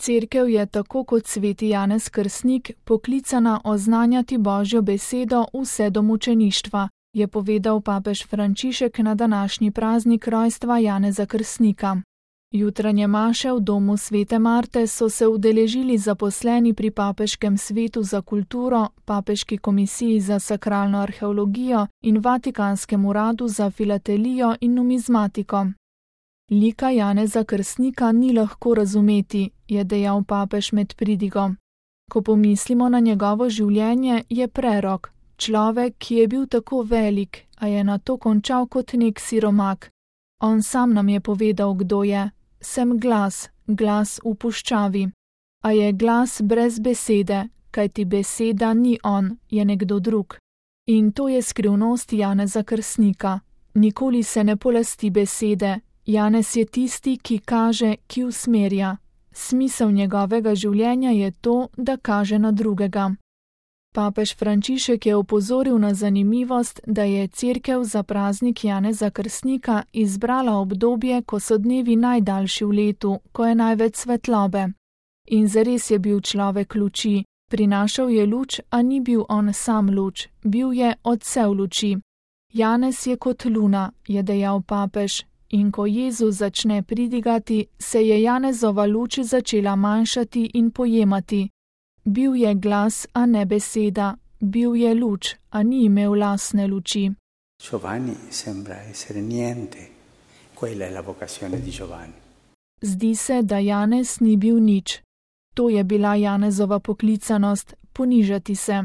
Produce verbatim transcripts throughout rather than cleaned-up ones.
Cerkev je tako kot sveti Janez Krstnik poklicana oznanjati Božjo besedo vse do mučeništva, je povedal papež Frančišek na današnji praznik rojstva Janeza Krstnika. Jutranje maše v domu svete Marte so se udeležili zaposleni pri Papeškem svetu za kulturo, Papeški komisiji za sakralno arheologijo in Vatikanskem uradu za filatelijo in numizmatiko. Lika Janeza Krstnika ni lahko razumeti, je dejal papež med pridigo. Ko pomislimo na njegovo življenje, je prerok, človek, ki je bil tako velik, a je nato končal kot nek siromak. On sam nam je povedal, kdo je. Sem glas, glas v puščavi. A je glas brez besede, kajti beseda ni on, je nekdo drug. In to je skrivnost Janeza Krstnika. Nikoli se ne polasti besede. Janez je tisti, ki kaže, ki usmerja. Smisel njegovega življenja je to, da kaže na drugega. Papež Frančišek je opozoril na zanimivost, da je Cerkev za praznik Janeza Krstnika izbrala obdobje, ko so dnevi najdaljši v letu, ko je največ svetlobe. In zares je bil človek luči, prinašal je luč, a ni bil on sam luč, bil je odsev luči. Janez je kot luna, je dejal papež, in ko Jezus začne pridigati, se je Janezova luč začela manjšati in pojemati. Bil je glas, a ne beseda, bil je luč, a ni imel lastne luči. Giovanni sembra essere niente, quella è la vocazione di Giovanni. Zdi se, da Janez ni bil nič. To je bila Janezova poklicanost, ponižati se.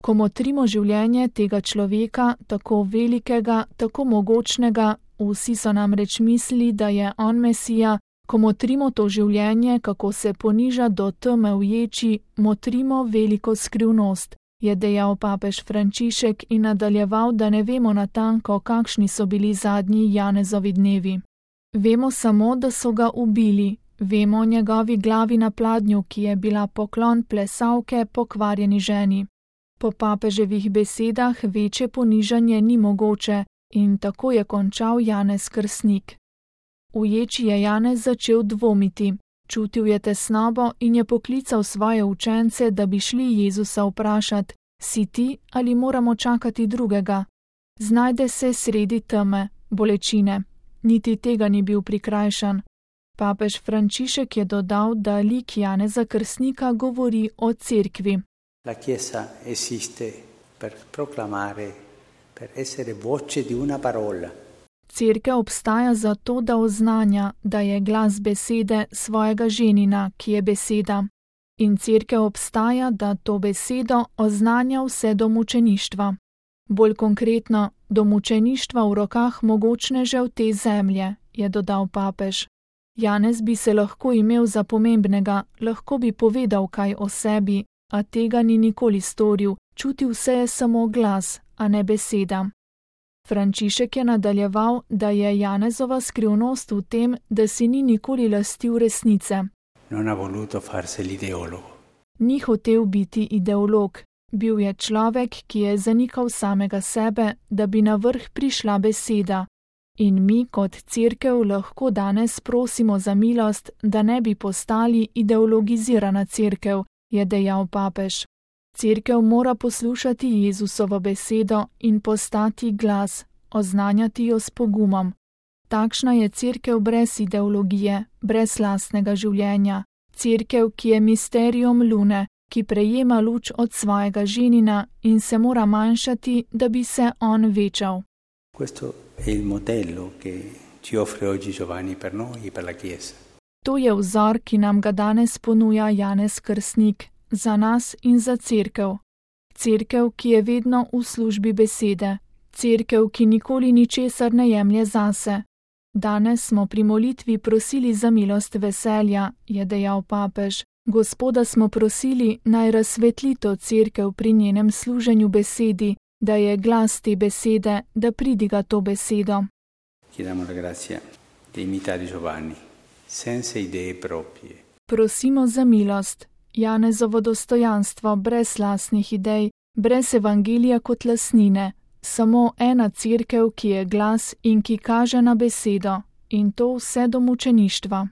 Ko motrimo življenje tega človeka, tako velikega, tako mogočnega, vsi so namreč mislili, da je on Mesija, ko motrimo to življenje, kako se poniža do teme v ječi, motrimo veliko skrivnost, je dejal papež Frančišek in nadaljeval, da ne vemo natanko, kakšni so bili zadnji Janezovi dnevi. Vemo samo, da so ga ubili, vemo o njegovi glavi na pladnju, ki je bila poklon plesavke pokvarjeni ženi. Po papeževih besedah večje ponižanje ni mogoče in tako je končal Janez Krstnik. V ječi je Janez začel dvomiti, čutil je tesnobo in je poklical svoje učence, da bi šli Jezusa vprašati, si ti ali moramo čakati drugega? Znajde se sredi teme, bolečine, niti tega ni bil prikrajšan. Papež Frančišek je dodal, da lik Janeza Krstnika govori o cerkvi. La Chiesa esiste per proclamare, per essere voce di una parola. Cerkev obstaja zato, da oznanja, da je glas besede svojega ženina, ki je beseda. In cerkev obstaja, da to besedo oznanja vse do mučeništva. Bolj konkretno, do mučeništva v rokah mogočnežev te zemlje, je dodal papež. Janez bi se lahko imel za pomembnega, lahko bi povedal kaj o sebi, a tega ni nikoli storil, čutil se je samo glas, a ne beseda. Frančišek je nadaljeval, da je Janezova skrivnost v tem, da si ni nikoli lastil resnice. Non ha voluto farsi l'ideologo. Ni hotel biti ideolog, bil je človek, ki je zanikal samega sebe, da bi na vrh prišla beseda. In mi kot cerkev lahko danes prosimo za milost, da ne bi postali ideologizirana cerkev, je dejal papež. Cerkev mora poslušati Jezusovo besedo in postati glas, oznanjati jo s pogumom. Takšna je cerkev brez ideologije, brez lastnega življenja. Cerkev, ki je misterium lune, ki prejema luč od svojega ženina in se mora manjšati, da bi se on večal. Questo è il modello che ci offre oggi Giovanni per noi e per la Chiesa. To je vzor, ki nam ga danes ponuja Janez Krstnik, za nas in za cerkev. Cerkev, ki je vedno v službi besede. Cerkev, ki nikoli ničesar ne jemlje zase. Danes smo pri molitvi prosili za milost veselja, je dejal papež. Gospoda smo prosili, naj razsvetli to cerkev pri njenem služenju besedi, da je glas te besede, da pridiga to besedo. Chiediamo la grazia di imitare Giovanni, senza idee proprie. Prosimo za milost, Janezovo dostojanstvo brez lastnih idej, brez evangelija kot lastnine, samo ena cerkev, ki je glas in ki kaže na besedo, in to vse do mučeništva.